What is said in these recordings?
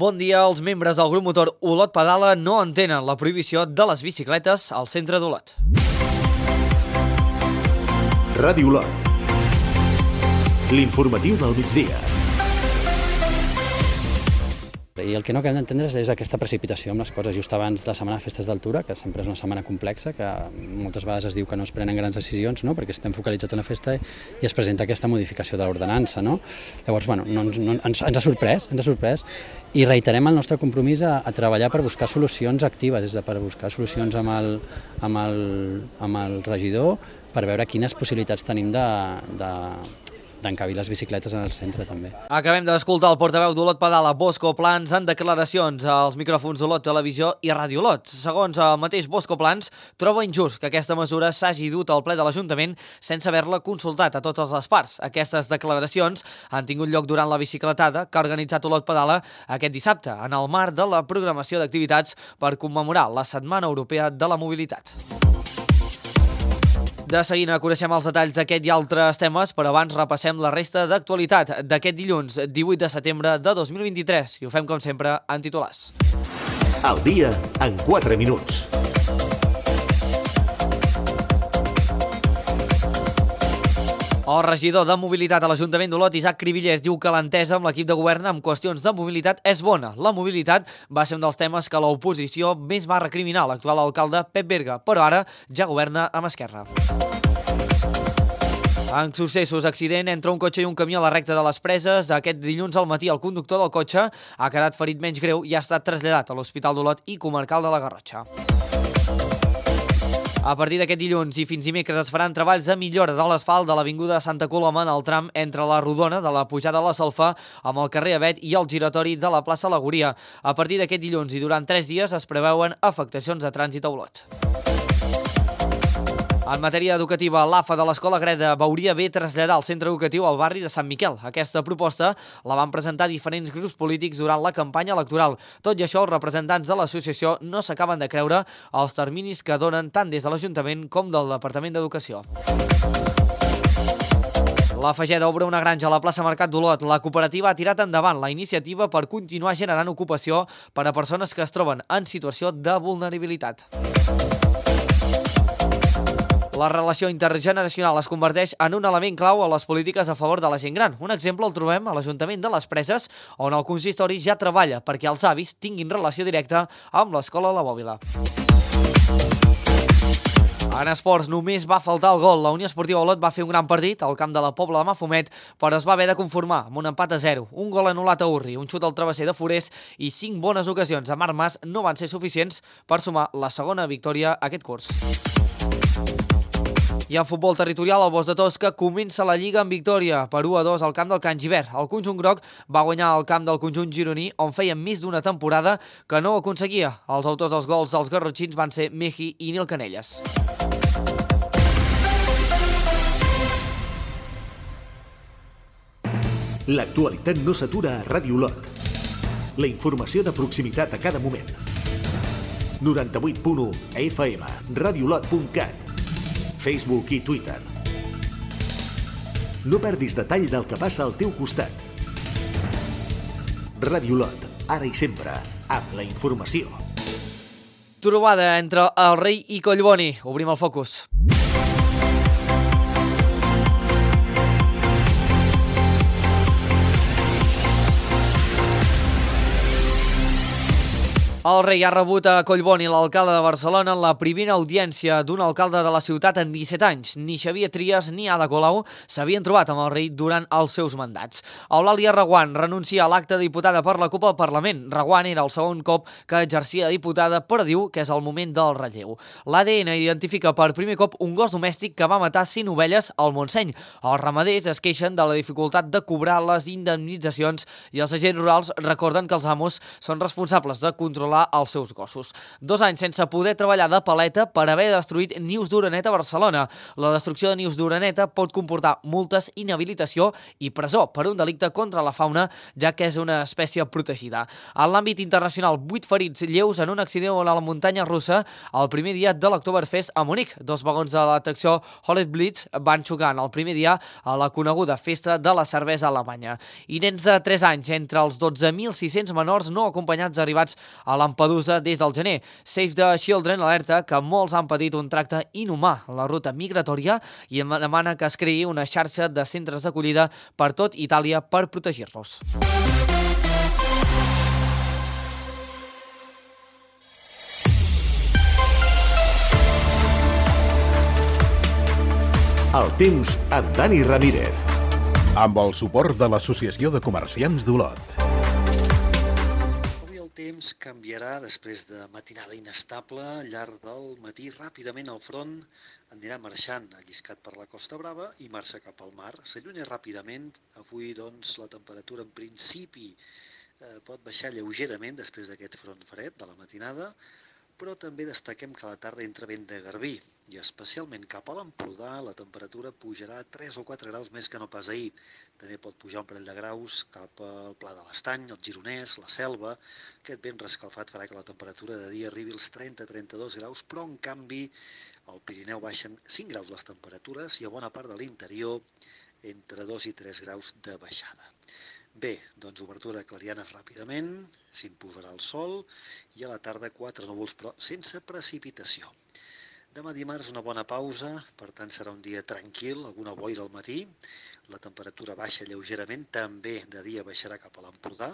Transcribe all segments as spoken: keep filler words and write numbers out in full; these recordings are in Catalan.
Bon dia. Els membres del grup motor Olot Pedala no entenen la prohibició de les bicicletes al centre d'Olot. Ràdio Olot. L'informatiu del migdia. I el que no acabem d'entendre és aquesta precipitació amb les coses just abans de la setmana de festes d'altura, que sempre és una setmana complexa, que moltes vegades es diu que no es prenen grans decisions, no? Perquè estem focalitzats en la festa i es presenta aquesta modificació de l'ordenança. No? Llavors, bueno, no, no, ens, ens ha sorprès, ens ha sorprès i reiterem el nostre compromís a, a treballar per buscar solucions actives, és a dir, per buscar solucions amb el, amb el, amb el regidor per veure quines possibilitats tenim de, de d'encabir les bicicletes en el centre també. Acabem d'escoltar el portaveu d'Olot Pedala, Bosco Plans, en declaracions als micròfons d'Olot Televisió i Ràdio Olot. Segons el mateix Bosco Plans, troba injust que aquesta mesura s'hagi dut al ple de l'Ajuntament sense haver-la consultat a totes les parts. Aquestes declaracions han tingut lloc durant la bicicletada que ha organitzat Olot Pedala aquest dissabte, en el marc de la programació d'activitats per commemorar la Setmana Europea de la Mobilitat. De seguida coneixem els detalls d'aquest i altres temes, però abans repassem la resta d'actualitat d'aquest dilluns divuit de setembre de dos mil vint-i-tres i ho fem com sempre en titulars. El dia en quatre minuts. El regidor de Mobilitat a l'Ajuntament d'Olot, Isaac Cribillers, diu que l'entesa amb l'equip de govern en qüestions de mobilitat és bona. La mobilitat va ser un dels temes que l'oposició més va recriminar l'actual alcalde Pep Berga, però ara ja governa amb Esquerra. En successos, accident entre un cotxe i un camió a la recta de les Preses. Aquest dilluns al matí el conductor del cotxe ha quedat ferit menys greu i ha estat traslladat a l'Hospital d'Olot i Comarcal de la Garrotxa. A partir d'aquest dilluns i fins dimecres es faran treballs de millora de l'asfalt de l'avinguda Santa Coloma en el tram entre la Rodona de la pujada a la Salfa amb el carrer Avet i el giratori de la plaça Lagoria. A partir d'aquest dilluns i durant tres dies es preveuen afectacions de trànsit a Olot. En matèria educativa, l'A F A de l'Escola Greda veuria bé traslladar el centre educatiu al barri de Sant Miquel. Aquesta proposta la van presentar diferents grups polítics durant la campanya electoral. Tot i això, els representants de l'associació no s'acaben de creure els terminis que donen tant des de l'Ajuntament com del Departament d'Educació. La Fageda obre una granja a la plaça Mercat d'Olot. La cooperativa ha tirat endavant la iniciativa per continuar generant ocupació per a persones que es troben en situació de vulnerabilitat. La relació intergeneracional es converteix en un element clau a les polítiques a favor de la gent gran. Un exemple el trobem a l'Ajuntament de les Preses, on el consistori ja treballa perquè els avis tinguin relació directa amb l'escola La Bòbila. En esports, només va faltar el gol. La Unió Esportiva Olot va fer un gran partit al camp de la Pobla de Mafumet, però es va haver de conformar amb un empat a zero. Un gol anul·lat a Urri, un xut al travesser de Forés i cinc bones ocasions a Marc Mas no van ser suficients per sumar la segona victòria aquest curs. I en futbol territorial, el Bosc de Tosca comença la Lliga amb victòria per u a dos al camp del Can Givert. El conjunt groc va guanyar al camp del conjunt gironí, on feia més d'una temporada que no ho aconseguia. Els autors dels gols dels garrotxins van ser Meji i Nil Canelles. L'actualitat no s'atura a Ràdio Olot. La informació de proximitat a cada moment. noranta-vuit punt u F M, radiolot punt cat, Facebook i Twitter. No perdis detall del que passa al teu costat. Ràdio Olot, ara i sempre, amb la informació. Trobada entre el Rei i Collboni. Obrim el focus. El rei ha rebut a Collboni, l'alcalde de Barcelona, en la primera audiència d'un alcalde de la ciutat en disset anys. Ni Xavier Trias ni Ada Colau s'havien trobat amb el rei durant els seus mandats. Eulàlia Reguant renuncia a l'acte de diputada per la CUP al Parlament. Reguant era el segon cop que exercia de diputada, però diu que és el moment del relleu. L'A D N identifica per primer cop un gos domèstic que va matar cinc ovelles al Montseny. Els ramaders es queixen de la dificultat de cobrar les indemnitzacions i els agents rurals recorden que els amos són responsables de controlar controlar els seus gossos. Dos anys sense poder treballar de paleta per haver destruït nius d'oreneta a Barcelona. La destrucció de nius d'oreneta pot comportar multes, inhabilitació i presó per un delicte contra la fauna, ja que és una espècie protegida. En l'àmbit internacional, vuit ferits lleus en un accident a la muntanya russa el primer dia de l'Oktoberfest a Munic. Dos vagons de l'atracció Holy Blitz van xocar en el primer dia a la coneguda festa de la cervesa alemanya. I nens de tres anys, entre els dotze mil sis-cents menors no acompanyats arribats a Lampedusa des del gener. Save the Children alerta que molts han patit un tracte inhumà a la ruta migratòria i demana que es creï una xarxa de centres d'acollida per tot Itàlia per protegir-los. El temps amb Dani Ramírez. Amb el suport de l'Associació de Comerciants d'Olot. Avui el temps canviarà després de matinada inestable. Al llarg del matí, ràpidament el front anirà marxant alliscat per la Costa Brava i marxa cap al mar. S'allunya ràpidament. Avui, doncs, la temperatura en principi eh, pot baixar lleugerament després d'aquest front fred de la matinada, però també destaquem que a la tarda entra vent de garbí i especialment cap a l'Empordà la temperatura pujarà tres o quatre graus més que no pas ahir. També pot pujar un parell de graus cap al Pla de l'Estany, el Gironès, la Selva. Aquest vent rescalfat farà que la temperatura de dia arribi als trenta a trenta-dos graus, però en canvi al Pirineu baixen cinc graus les temperatures i a bona part de l'interior entre dos i tres graus de baixada. Bé, doncs obertura clarianes ràpidament, s'imposarà el sol i a la tarda quatre núvols però sense precipitació. Demà dimarts una bona pausa, per tant serà un dia tranquil, alguna boira al matí, la temperatura baixa lleugerament, també de dia baixarà cap a l'Empordà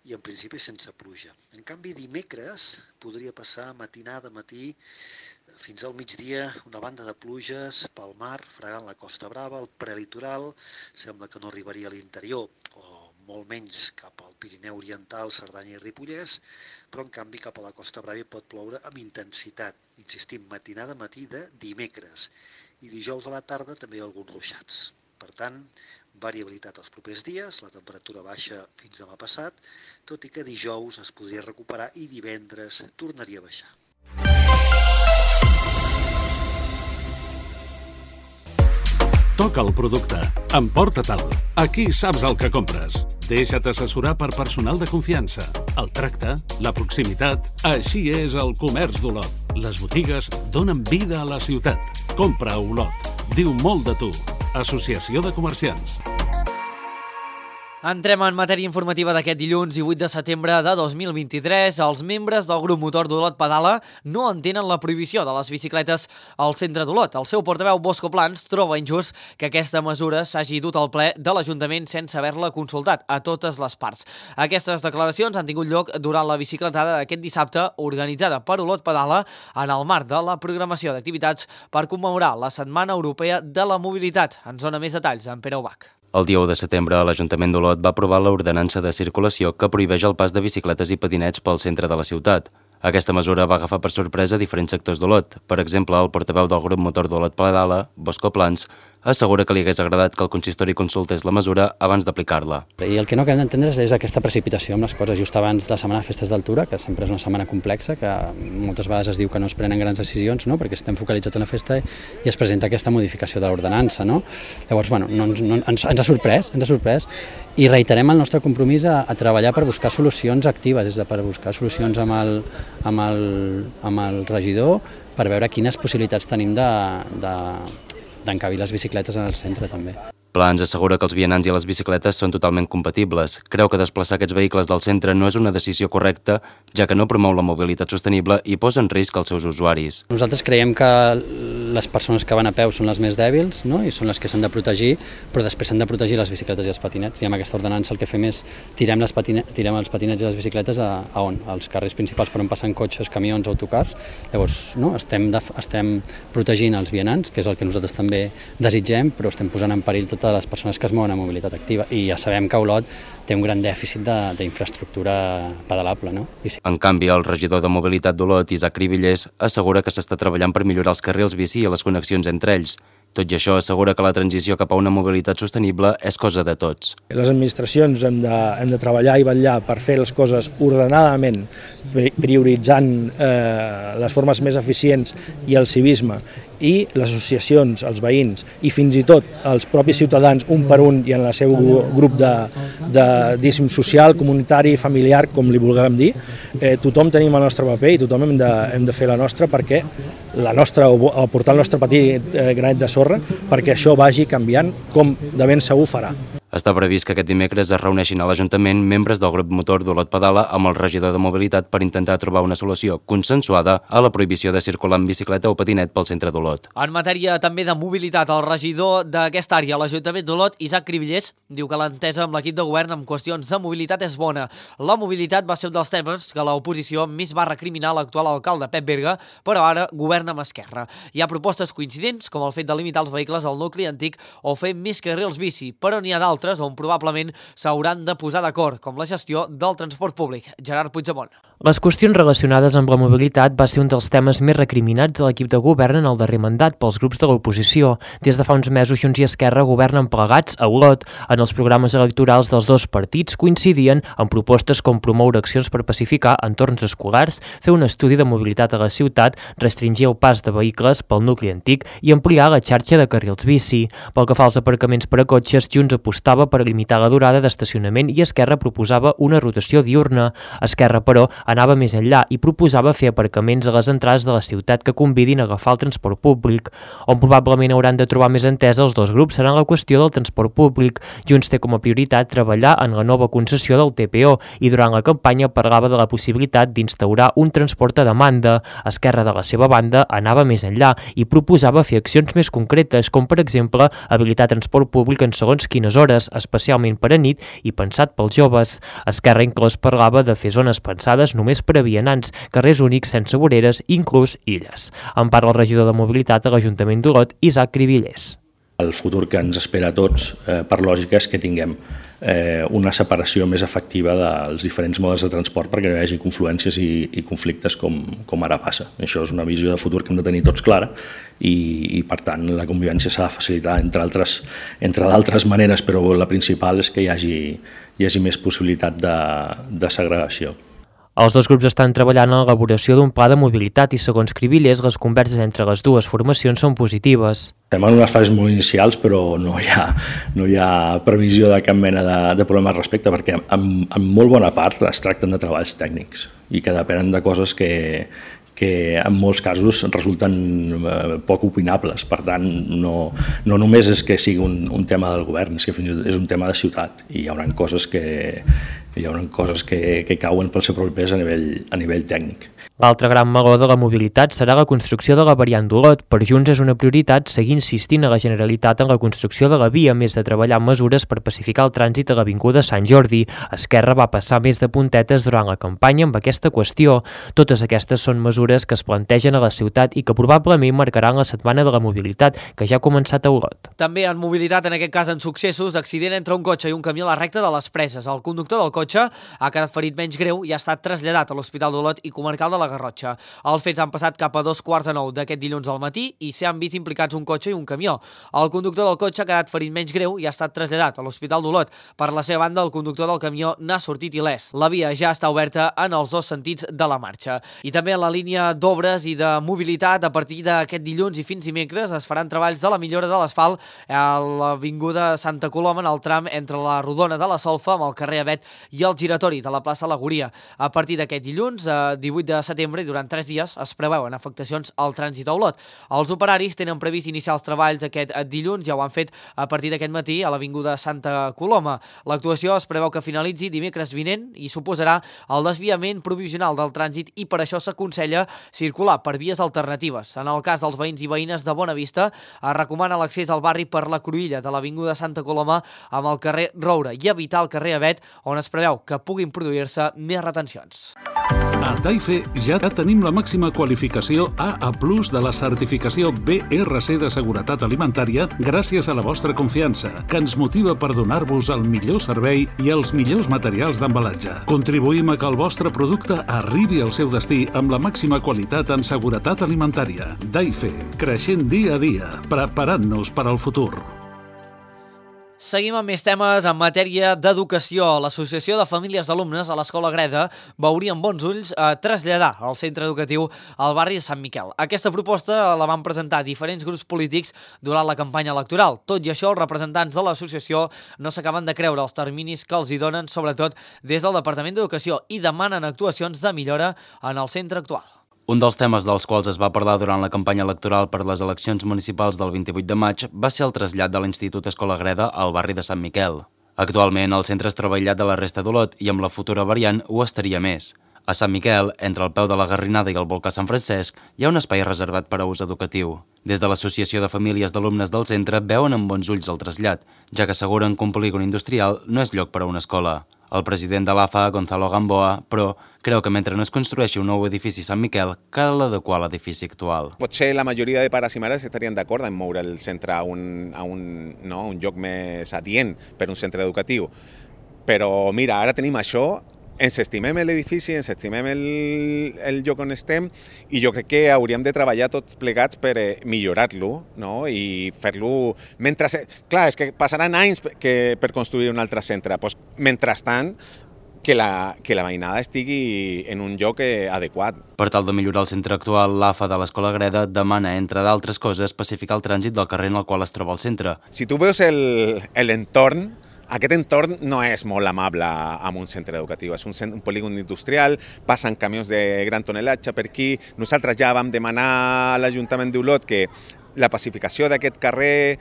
i en principi sense pluja. En canvi dimecres podria passar matinada, matí, fins al migdia una banda de pluges pel mar, fregant la Costa Brava, el prelitoral, sembla que no arribaria a l'interior, o molt menys cap al Pirineu Oriental, Cerdanya i Ripollès, però en canvi cap a la Costa Brava pot ploure amb intensitat, insistim, matinada matí de dimecres, i dijous a la tarda també alguns ruixats. Per tant, variabilitat els propers dies, la temperatura baixa fins demà passat, tot i que dijous es podria recuperar i divendres tornaria a baixar. Toca el producte, emporta-te'l. Aquí saps el que compres. Deixa't assessorar per personal de confiança. El tracte, la proximitat, així és el comerç d'Olot. Les botigues donen vida a la ciutat. Compra a Olot. Diu molt de tu. Associació de Comerciants. Entrem en matèria informativa d'aquest dilluns divuit de setembre de dos mil vint-i-tres. Els membres del grup motor d'Olot Pedala no entenen la prohibició de les bicicletes al centre d'Olot. El seu portaveu Bosco Plans troba injust que aquesta mesura s'hagi dut al ple de l'Ajuntament sense haver-la consultat a totes les parts. Aquestes declaracions han tingut lloc durant la bicicletada d'aquest dissabte organitzada per Olot Pedala en el marc de la programació d'activitats per commemorar la Setmana Europea de la Mobilitat. Ens dona més detalls en Pere Ubach. El dia u de setembre, l'Ajuntament d'Olot va aprovar l'ordenança de circulació que prohibeix el pas de bicicletes i patinets pel centre de la ciutat. Aquesta mesura va agafar per sorpresa diferents sectors d'Olot. Per exemple, el portaveu del grup motor d'Olot Pedala, Bosco Plans, assegura que li hagués agradat que el consistori consultés la mesura abans d'aplicar-la. I el que no acabem d'entendre és aquesta precipitació amb les coses just abans de la setmana de festes d'altura, que sempre és una setmana complexa, que moltes vegades es diu que no es prenen grans decisions, no? Perquè estem focalitzats en la festa i es presenta aquesta modificació de l'ordenança. No? Llavors, bueno, no, no, ens, ens ha sorprès, ens ha sorprès i reiterem el nostre compromís a, a treballar per buscar solucions actives, és a dir, per buscar solucions amb el, amb el, amb el regidor per veure quines possibilitats tenim de, de d'encabir les bicicletes en el centre també. Plans assegura que els vianants i les bicicletes són totalment compatibles. Creu que desplaçar aquests vehicles del centre no és una decisió correcta, ja que no promou la mobilitat sostenible i posa en risc els seus usuaris. Nosaltres creiem que les persones que van a peu són les més dèbils, no? I són les que s'han de protegir, però després s'han de protegir les bicicletes i els patinets. I amb aquesta ordenança el que fem és tirem, les patine... tirem els patinets i les bicicletes a, a on? Als carrers principals per on passen cotxes, camions, autocars. Llavors, no? estem, de... estem protegint els vianants, que és el que nosaltres també desitgem, però estem posant en perill totes les persones que es mouen a mobilitat activa. I ja sabem que Olot té un gran dèficit d'infraestructura pedalable. No? I sí. En canvi, el regidor de mobilitat d'Olot, Isaac Cribillers, assegura que s'està treballant per millorar els carrils bici bici i les connexions entre ells. Tot i això, assegura que la transició cap a una mobilitat sostenible és cosa de tots. Les administracions hem de, hem de treballar i vetllar per fer les coses ordenadament, prioritzant eh, les formes més eficients i el civisme, i les associacions, els veïns i fins i tot els propis ciutadans, un per un i en el seu grup de, de diguéssim, social, comunitari, familiar, com li vulguem dir, eh, tothom tenim el nostre paper i tothom hem de, hem de fer la nostra perquè la nostra, o aportar el nostre petit eh, granet de sorra perquè això vagi canviant com de ben segur farà. Està previst que aquest dimecres es reuneixin a l'Ajuntament membres del grup motor d'Olot Pedala amb el regidor de mobilitat per intentar trobar una solució consensuada a la prohibició de circular amb bicicleta o patinet pel centre d'Olot. En matèria també de mobilitat, el regidor d'aquesta àrea a l'Ajuntament d'Olot, Isaac Cribillers, diu que l'entesa amb l'equip de govern en qüestions de mobilitat és bona. La mobilitat va ser un dels temes que l'oposició més va recriminar l'actual alcalde Pep Berga, però ara governa amb Esquerra. Hi ha propostes coincidents, com el fet de limitar els vehicles al nucli antic o fer més carrils bici, però n'hi ha d'altres on probablement s'hauran de posar d'acord, com la gestió del transport públic. Gerard Puigdemont. Les qüestions relacionades amb la mobilitat va ser un dels temes més recriminats de l'equip de govern en el darrer mandat pels grups de l'oposició. Des de fa uns mesos, Junts i Esquerra governen plegats a Olot. En els programes electorals dels dos partits coincidien en propostes com promoure accions per pacificar entorns escolars, fer un estudi de mobilitat a la ciutat, restringir el pas de vehicles pel nucli antic i ampliar la xarxa de carrils bici. Pel que fa als aparcaments per a cotxes, Junts apostava per limitar la durada d'estacionament i Esquerra proposava una rotació diurna. Esquerra, però, anava més enllà i proposava fer aparcaments a les entrades de la ciutat que convidin a agafar el transport públic. On probablement hauran de trobar més entesa els dos grups serà la qüestió del transport públic. Junts té com a prioritat treballar en la nova concessió del T P O i durant la campanya parlava de la possibilitat d'instaurar un transport a demanda. Esquerra, de la seva banda, anava més enllà i proposava fer accions més concretes, com per exemple habilitar transport públic en segons quines hores, especialment per a nit i pensat pels joves. Esquerra inclòs parlava de fer zones pensades només per a vianants, carrers únics sense voreres, inclús illes. En parla el regidor de mobilitat a l'Ajuntament d'Olot, Isaac Cribillers. El futur que ens espera a tots, eh, per lògica, és que tinguem eh, una separació més efectiva dels diferents modes de transport perquè no hi hagi confluències i, i conflictes com, com ara passa. Això és una visió de futur que hem de tenir tots clara i, i per tant, la convivència s'ha de facilitar entre altres, entre d'altres maneres, però la principal és que hi hagi, hi hagi més possibilitat de, de segregació. Els dos grups estan treballant en l'elaboració d'un pla de mobilitat i, segons Cribillers, les converses entre les dues formacions són positives. Estem en unes fases molt inicials, però no hi ha, no hi ha previsió de cap mena de, de problema al respecte, perquè en, en molt bona part es tracten de treballs tècnics i que depenen de coses que, que en molts casos resulten eh, poc opinables. Per tant, no, no només és que sigui un, un tema del govern, és que fins i tot és un tema de ciutat i hi haurà coses que, hi haurà coses que, que cauen pel seu propi pes a nivell, a nivell tècnic. L'altre gran meló de la mobilitat serà la construcció de la variant d'Olot. Per Junts és una prioritat seguir insistint a la Generalitat en la construcció de la via, més de treballar en mesures per pacificar el trànsit a l'Avinguda Sant Jordi. Esquerra va passar més de puntetes durant la campanya amb aquesta qüestió. Totes aquestes són mesures que es plantegen a la ciutat i que probablement marcaran la setmana de la mobilitat, que ja ha començat a Olot. També en mobilitat, en aquest cas en successos, accident entre un cotxe i un camió a la recta de les Preses. El conductor del cotxe ha quedat ferit menys greu i ha estat traslladat a l'Hospital d'Olot i Comarcal de la Garrotxa. Els fets han passat cap a dos quarts de nou d'aquest dilluns al matí i s'hi han vist implicats un cotxe i un camió. El conductor del cotxe ha quedat ferit menys greu i ha estat traslladat a l'Hospital d'Olot. Per la seva banda, el conductor del camió n'ha sortit il·lès. La via ja està oberta en els dos sentits de la marxa. I també en la línia d'obres i de mobilitat, a partir d'aquest dilluns i fins dimecres es faran treballs de la millora de l'asfalt a l'Avinguda Santa Coloma en el tram entre la Rodona de la Solfa amb el carrer Avet i el giratori de la plaça Lagoria. A partir d'aquest dilluns, divuit de setembre, i durant tres dies, es preveuen afectacions al trànsit a Olot. Els operaris tenen previst iniciar els treballs aquest dilluns, ja ho han fet a partir d'aquest matí a l'Avinguda Santa Coloma. L'actuació es preveu que finalitzi dimecres vinent i suposarà el desviament provisional del trànsit i per això s'aconsella circular per vies alternatives. En el cas dels veïns i veïnes de Bonavista, es recomana l'accés al barri per la cruïlla de l'Avinguda Santa Coloma amb el carrer Roure i evitar el carrer Avet, on es preveu que puguin produir-se més retencions. A Daife ja tenim la màxima qualificació A A plus de la certificació B R C de seguretat alimentària gràcies a la vostra confiança, que ens motiva per donar-vos el millor servei i els millors materials d'embalatge. Contribuïm a que el vostre producte arribi al seu destí amb la màxima qualitat en seguretat alimentària. Daife, creixent dia a dia, preparant-nos per al futur. Seguim amb més temes en matèria d'educació. L'Associació de Famílies d'Alumnes a l'Escola Greda veuria amb bons ulls a traslladar el centre educatiu al barri de Sant Miquel. Aquesta proposta la van presentar diferents grups polítics durant la campanya electoral. Tot i això, els representants de l'associació no s'acaben de creure els terminis que els hi donen, sobretot des del Departament d'Educació, i demanen actuacions de millora en el centre actual. Un dels temes dels quals es va parlar durant la campanya electoral per les eleccions municipals del vint-i-vuit de maig va ser el trasllat de l'Institut Escola Greda al barri de Sant Miquel. Actualment, el centre es troba aïllat de la resta d'Olot i amb la futura variant ho estaria més. A Sant Miquel, entre el peu de la Garrinada i el volcà Sant Francesc, hi ha un espai reservat per a ús educatiu. Des de l'Associació de Famílies d'Alumnes del centre veuen amb bons ulls el trasllat, ja que asseguren que un polígon industrial no és lloc per a una escola. El president de l'A F A, Gonzalo Gamboa, però, creu que mentre no es construeixi un nou edifici a Sant Miquel, cal adequar l'edifici actual. Potser la majoria de pares i mares estarien d'acord en moure el centre a un, a un, no, un lloc més adient per un centre educatiu. Però mira, ara tenim això, ens estimem l'edifici, ens estimem el, el lloc on estem i jo crec que hauríem de treballar tots plegats per eh, millorar-lo, no? I fer-lo... Mentre... Clar, és que passaran anys que, per construir un altre centre. Pues, mentrestant, que la, que la veïnada estigui en un lloc eh, adequat. Per tal de millorar el centre actual, l'A F A de l'Escola Greda demana, entre d'altres coses, pacificar el trànsit del carrer en el qual es troba el centre. Si tu veus l'entorn, aquest entorn no és molt amable amb un centre educatiu, és un, un polígon industrial, passen camions de gran tonatge per aquí. Nosaltres ja vam demanar a l'Ajuntament d'Olot que la pacificació d'aquest carrer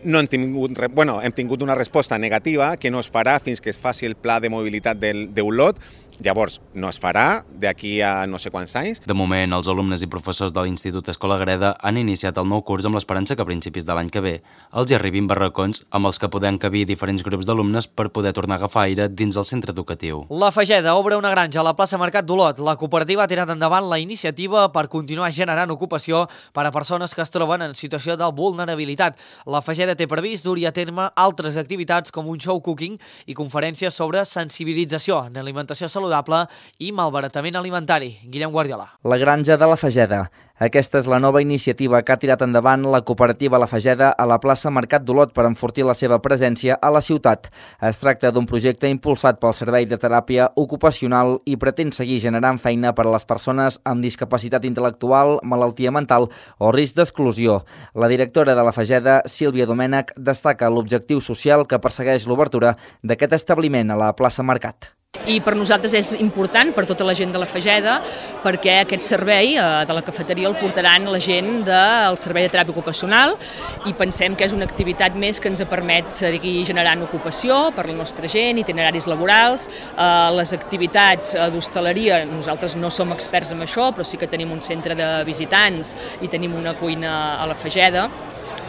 no hem tingut, bueno, hem tingut una resposta negativa que no es farà fins que es faci el pla de mobilitat d'Olot. Llavors, no es farà d'aquí a no sé quants anys. De moment, els alumnes i professors de l'Institut Escola Greda han iniciat el nou curs amb l'esperança que a principis de l'any que ve els hi arribin barracons amb els que podem cabir diferents grups d'alumnes per poder tornar a agafar aire dins el centre educatiu. La Fageda obre una granja a la plaça Mercat d'Olot. La cooperativa ha tirat endavant la iniciativa per continuar generant ocupació per a persones que es troben en situació de vulnerabilitat. La Fageda té previst dur a terme altres activitats com un show cooking i conferències sobre sensibilització en alimentació saludable i malbaratament alimentari. Guillem Guardiola. La granja de la Fageda. Aquesta és la nova iniciativa que ha tirat endavant la cooperativa La Fageda a la plaça Mercat d'Olot per enfortir la seva presència a la ciutat. Es tracta d'un projecte impulsat pel Servei de Teràpia Ocupacional i pretén seguir generant feina per a les persones amb discapacitat intel·lectual, malaltia mental o risc d'exclusió. La directora de La Fageda, Sílvia Domènech, destaca l'objectiu social que persegueix l'obertura d'aquest establiment a la plaça Mercat. I per nosaltres és important, per tota la gent de la Fageda, perquè aquest servei de la cafeteria el portaran la gent del Servei de Teràpia Ocupacional i pensem que és una activitat més que ens permet seguir generant ocupació per la nostra gent, itineraris laborals, les activitats d'hostaleria. Nosaltres no som experts en això, però sí que tenim un centre de visitants i tenim una cuina a la Fageda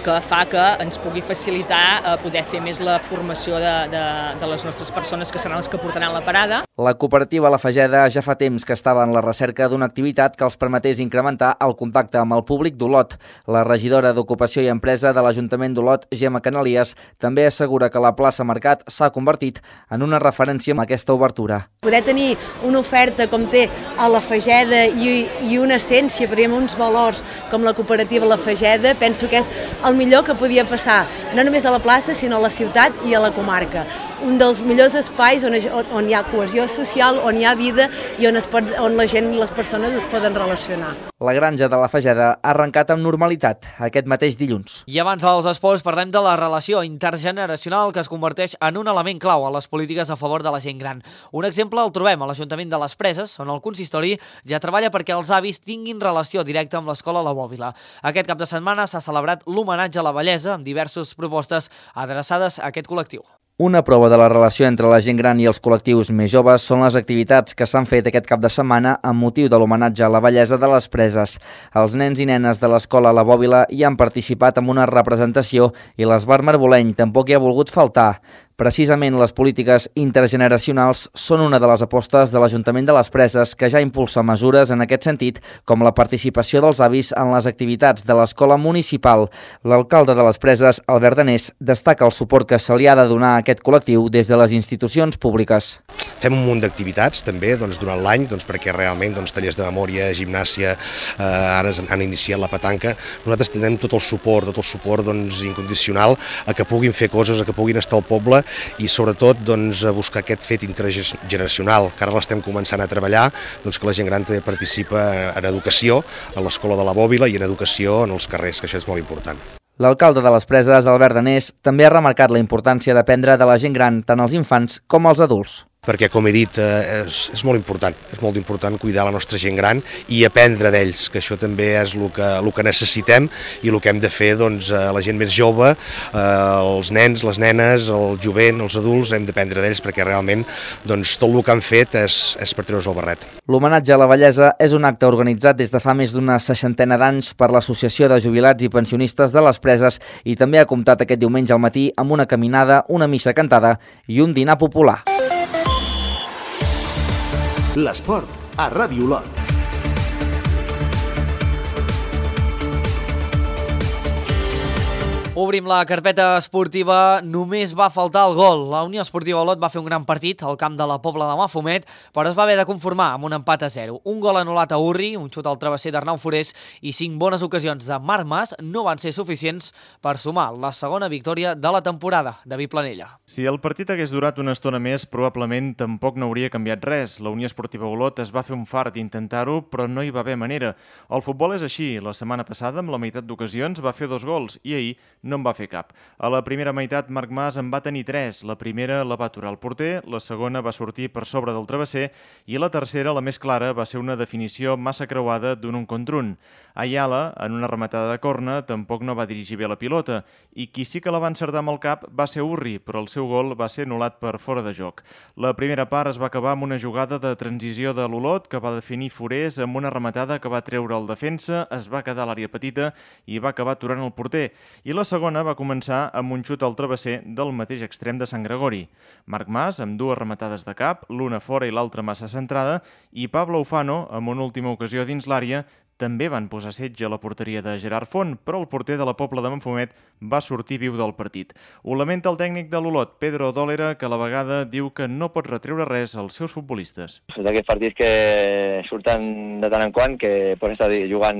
que fa que ens pugui facilitar eh, poder fer més la formació de, de, de les nostres persones que seran les que portaran la parada. La cooperativa La Fageda ja fa temps que estava en la recerca d'una activitat que els permetés incrementar el contacte amb el públic d'Olot. La regidora d'Ocupació i Empresa de l'Ajuntament d'Olot, Gemma Canalies, també assegura que la plaça Mercat s'ha convertit en una referència amb aquesta obertura. Poder tenir una oferta com té a La Fageda i, i una essència, podríem uns valors com la cooperativa La Fageda, penso que és el millor que podia passar, no només a la plaça, sinó a la ciutat i a la comarca. Un dels millors espais on, on hi ha cohesió social, on hi ha vida i on, es pot, on la gent i les persones es poden relacionar. La granja de la Fageda ha arrencat amb normalitat aquest mateix dilluns. I abans dels esports parlem de la relació intergeneracional que es converteix en un element clau a les polítiques a favor de la gent gran. Un exemple el trobem a l'Ajuntament de les Preses, on el consistori ja treballa perquè els avis tinguin relació directa amb l'escola La Bòbila. Aquest cap de setmana s'ha celebrat l'homenatge a la bellesa amb diverses propostes adreçades a aquest col·lectiu. Una prova de la relació entre la gent gran i els col·lectius més joves són les activitats que s'han fet aquest cap de setmana amb motiu de l'homenatge a la bellesa de les Preses. Els nens i nenes de l'escola La Bòbila hi han participat amb una representació i l'Esbar Marboleny tampoc hi ha volgut faltar. Precisament les polítiques intergeneracionals són una de les apostes de l'Ajuntament de les Preses, que ja impulsa mesures en aquest sentit, com la participació dels avis en les activitats de l'escola municipal. L'alcalde de les Preses, Albert Danés, destaca el suport que se li ha de donar a aquest col·lectiu des de les institucions públiques. Fem un munt d'activitats també doncs, durant l'any, doncs, perquè realment doncs, tallers de memòria, gimnàsia, eh, ara han iniciat la petanca. Nosaltres tenim tot el suport, tot el suport doncs, incondicional a que puguin fer coses, a que puguin estar al poble i sobretot doncs, a buscar aquest fet intergeneracional, que ara l'estem començant a treballar, doncs, que la gent gran també participa en educació, a l'escola de la Bòbila i en educació en els carrers, que això és molt important. L'alcalde de les Preses, Albert Danés, també ha remarcat la importància d'aprendre de la gent gran, tant els infants com els adults. Perquè, com he dit, és, és molt important, és molt important cuidar la nostra gent gran i aprendre d'ells, que això també és el que, el que necessitem i el que hem de fer doncs, a la gent més jove, els nens, les nenes, el jovent, els adults, hem d'aprendre d'ells perquè realment doncs, tot el que han fet és, és per treure's el barret. L'homenatge a la vellesa és un acte organitzat des de fa més d'una seixantena d'anys per l'Associació de Jubilats i Pensionistes de les Preses i també ha comptat aquest diumenge al matí amb una caminada, una missa cantada i un dinar popular. L'esport a Ràdio Olot. Obrim la carpeta esportiva, només va faltar el gol. La Unió Esportiva Olot va fer un gran partit al camp de la Pobla de Mafumet, però es va haver de conformar amb un empat a zero. Un gol anul·lat a Urri, un xut al travesser d'Arnau Forés i cinc bones ocasions de Marc Mas no van ser suficients per sumar la segona victòria de la temporada. David Planella. Si el partit hagués durat una estona més, probablement tampoc no hauria canviat res. La Unió Esportiva Olot es va fer un fart d'intentar-ho, però no hi va haver manera. El futbol és així. La setmana passada, amb la meitat d'ocasions, va fer dos gols i ahir no en va fer cap. A la primera meitat, Marc Mas en va tenir tres. La primera la va aturar el porter, la segona va sortir per sobre del travesser i la tercera, la més clara, va ser una definició massa creuada d'un un contra un. Ayala, en una rematada de corna, tampoc no va dirigir bé la pilota i qui sí que la va encertar amb el cap va ser Urri, però el seu gol va ser anul·lat per fora de joc. La primera part es va acabar amb una jugada de transició de l'Olot que va definir Forés amb una rematada que va treure el defensa, es va quedar a l'àrea petita i va acabar aturant el porter. I la segona va començar amb un xut al travesser del mateix extrem de Sant Gregori. Marc Mas, amb dues rematades de cap, l'una fora i l'altra massa centrada, i Pablo Ufano, amb una última ocasió dins l'àrea, també van posar setge a la porteria de Gerard Font, però el porter de la Pobla de Mafumet va sortir viu del partit. Ho lamenta el tècnic de l'Olot, Pedro Dólera, que a la vegada diu que no pot retreure res als seus futbolistes. És d'aquests partits que surten de tant en quant, que pots estar jugant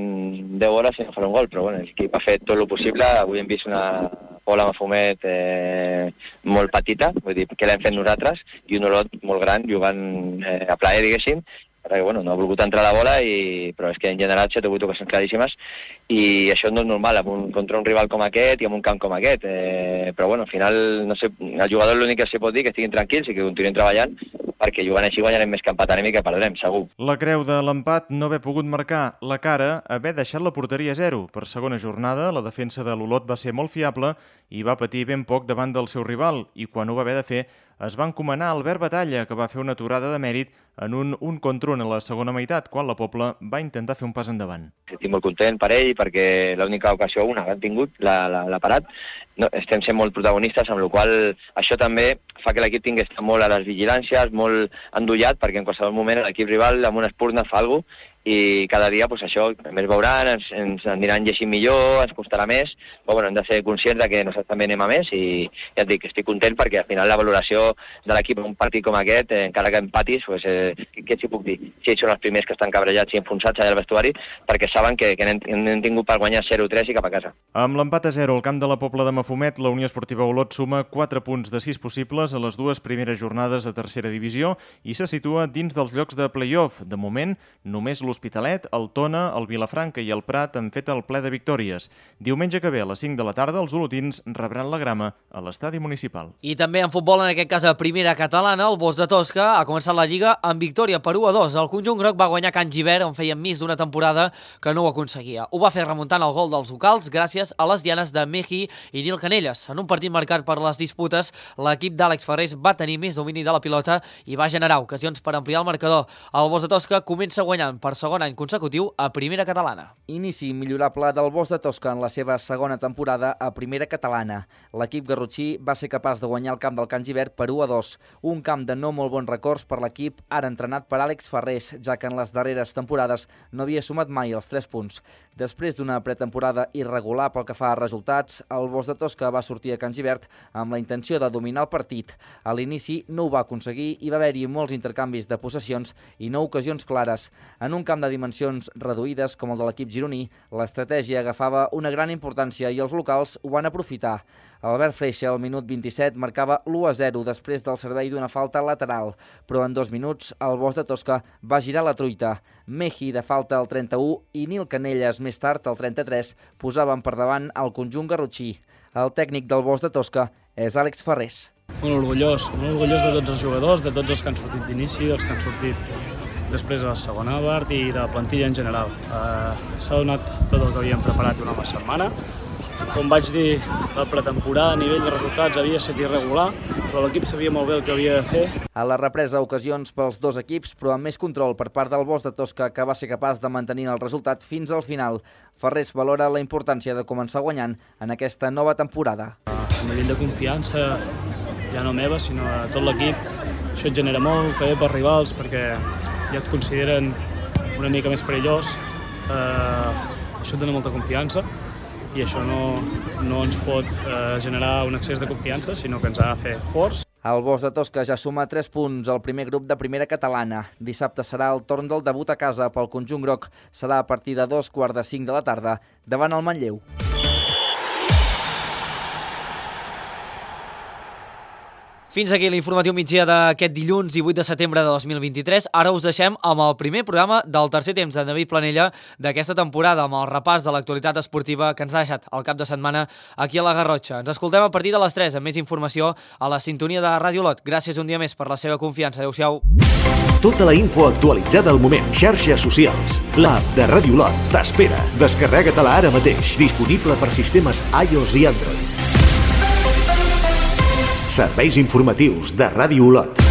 deu hores i no fer un gol, però bueno, l'equip ha fet tot el possible. Avui hem vist una Pobla Mafumet eh, molt petita, vull dir, que l'hem fet nosaltres, i un Olot molt gran, jugant eh, a plaer, diguéssim, perquè bueno, no ha volgut entrar la bola, i, però és que en general s'ha tingut ocasions claríssimes i això no és normal amb un, contra un rival com aquest i amb un camp com aquest, eh, però bueno, al final no sé, el jugador l'únic que s'hi pot dir que estiguin tranquils i que continuïn treballant perquè jugant així guanyarem més que empatarem i que perdrem, segur. La creu de l'empat no haver pogut marcar, la cara haver deixat la porteria a zero. Per segona jornada, la defensa de l'Olot va ser molt fiable i va patir ben poc davant del seu rival i quan ho va haver de fer es va encomanar Albert Batalla, que va fer una aturada de mèrit en un un contra un a la segona meitat, quan la Pobla va intentar fer un pas endavant. Estic molt content per ell, perquè l'única ocasió, una que han tingut, l'ha parat. No, estem sent molt protagonistes, amb la qual això també fa que l'equip tingui estar molt a les vigilàncies, molt endollat, perquè en qualsevol moment l'equip rival amb una espurna fa alguna cosa i cada dia pues, això més veuran, ens, ens aniran llegint millor, ens costarà més, però bueno, hem de ser conscients de que nosaltres també anem a més i ja et dic, estic content perquè al final la valoració de l'equip en un partit com aquest, eh, encara que empatis, pues, eh, què s'hi puc dir? Si ells són els primers que estan cabrejats i enfonsats allà al vestuari perquè saben que, que n'hem tingut per guanyar zero tres i cap a casa. Amb l'empat a zero al camp de la Pobla de Mafumet, la Unió Esportiva Olot suma quatre punts de sis possibles a les dues primeres jornades de tercera divisió i se situa dins dels llocs de play-off. De moment, només l'Hospitalet, el Tona, el Vilafranca i el Prat han fet el ple de victòries. Diumenge que ve a les cinc de la tarda els olotins rebran la grama a l'estadi municipal. I també en futbol, en aquest cas a primera catalana, el Bosch de Tosca ha començat la Lliga amb victòria per u a dos. El conjunt groc va guanyar Can Givert, on feia més d'una temporada que no ho aconseguia. Ho va fer fer remuntant el gol dels locals gràcies a les dianes de Meji i Nil Canelles. En un partit marcat per les disputes, l'equip d'Àlex Ferrés va tenir més domini de la pilota i va generar ocasions per ampliar el marcador. El Bos de Tosca comença guanyant per segon any consecutiu a Primera Catalana. Inici millorable del Bos de Tosca en la seva segona temporada a Primera Catalana. L'equip garrotxí va ser capaç de guanyar el camp del Can Givert per u a dos, un camp de no molt bons records per l'equip ara entrenat per Àlex Ferrés, ja que en les darreres temporades no havia sumat mai els tres punts. Després d'una pretemporada irregular pel que fa a resultats, el Bos de Tosca va sortir a Can Givert amb la intenció de dominar el partit. A l'inici no ho va aconseguir i va haver-hi molts intercanvis de possessions i no ocasions clares. En un camp de dimensions reduïdes com el de l'equip gironí, l'estratègia agafava una gran importància i els locals ho van aprofitar. Albert Freixa, al minut vint-i-set, marcava l'u a zero després del servei d'una falta lateral, però en dos minuts el Bos de Tosca va girar la truita. Meji de falta al trenta-u i Nil Canelles més tard, al trenta-tres, posaven per davant el conjunt garrotxí. El tècnic del Bos de Tosca és Àlex Ferrés. Molt orgullós, molt orgullós de tots els jugadors, de tots els que han sortit d'inici, dels que han sortit després de la segona part i de la plantilla en general. Uh, S'ha donat tot el que havíem preparat durant la setmana. Com vaig dir, la pretemporada a nivell de resultats havia estat irregular, però l'equip sabia molt bé el que havia de fer. A la represa, ocasions pels dos equips, però amb més control per part del Bos de Tosca, que va ser capaç de mantenir el resultat fins al final. Ferrés valora la importància de començar guanyant en aquesta nova temporada. A nivell de confiança, ja no meva, sinó a tot l'equip, això et genera molt, també per rivals, perquè ja et consideren una mica més perillós. Eh, això et dona molta confiança i això no, no ens pot eh, generar un excés de confiança, sinó que ens ha de fer forts. El Bos de Tosca ja suma tres punts al primer grup de Primera Catalana. Dissabte serà el torn del debut a casa pel conjunt groc. Serà a partir de dos quarts de cinc de la tarda davant el Manlleu. Fins aquí l'informatiu migdia d'aquest dilluns divuit de setembre de dos mil vint-i-tres. Ara us deixem amb el primer programa del tercer temps de David Planella d'aquesta temporada, amb el repàs de l'actualitat esportiva que ens ha deixat el cap de setmana aquí a la Garrotxa. Ens escoltem a partir de les tres amb més informació a la sintonia de Ràdio Olot. Gràcies un dia més per la seva confiança. Adéu-siau. Tota la info actualitzada al moment. Xarxes socials. L'app de Ràdio Olot t'espera. Descarrega-te-la ara mateix. Disponible per sistemes iOS i Android. Serveis informatius de Ràdio Olot.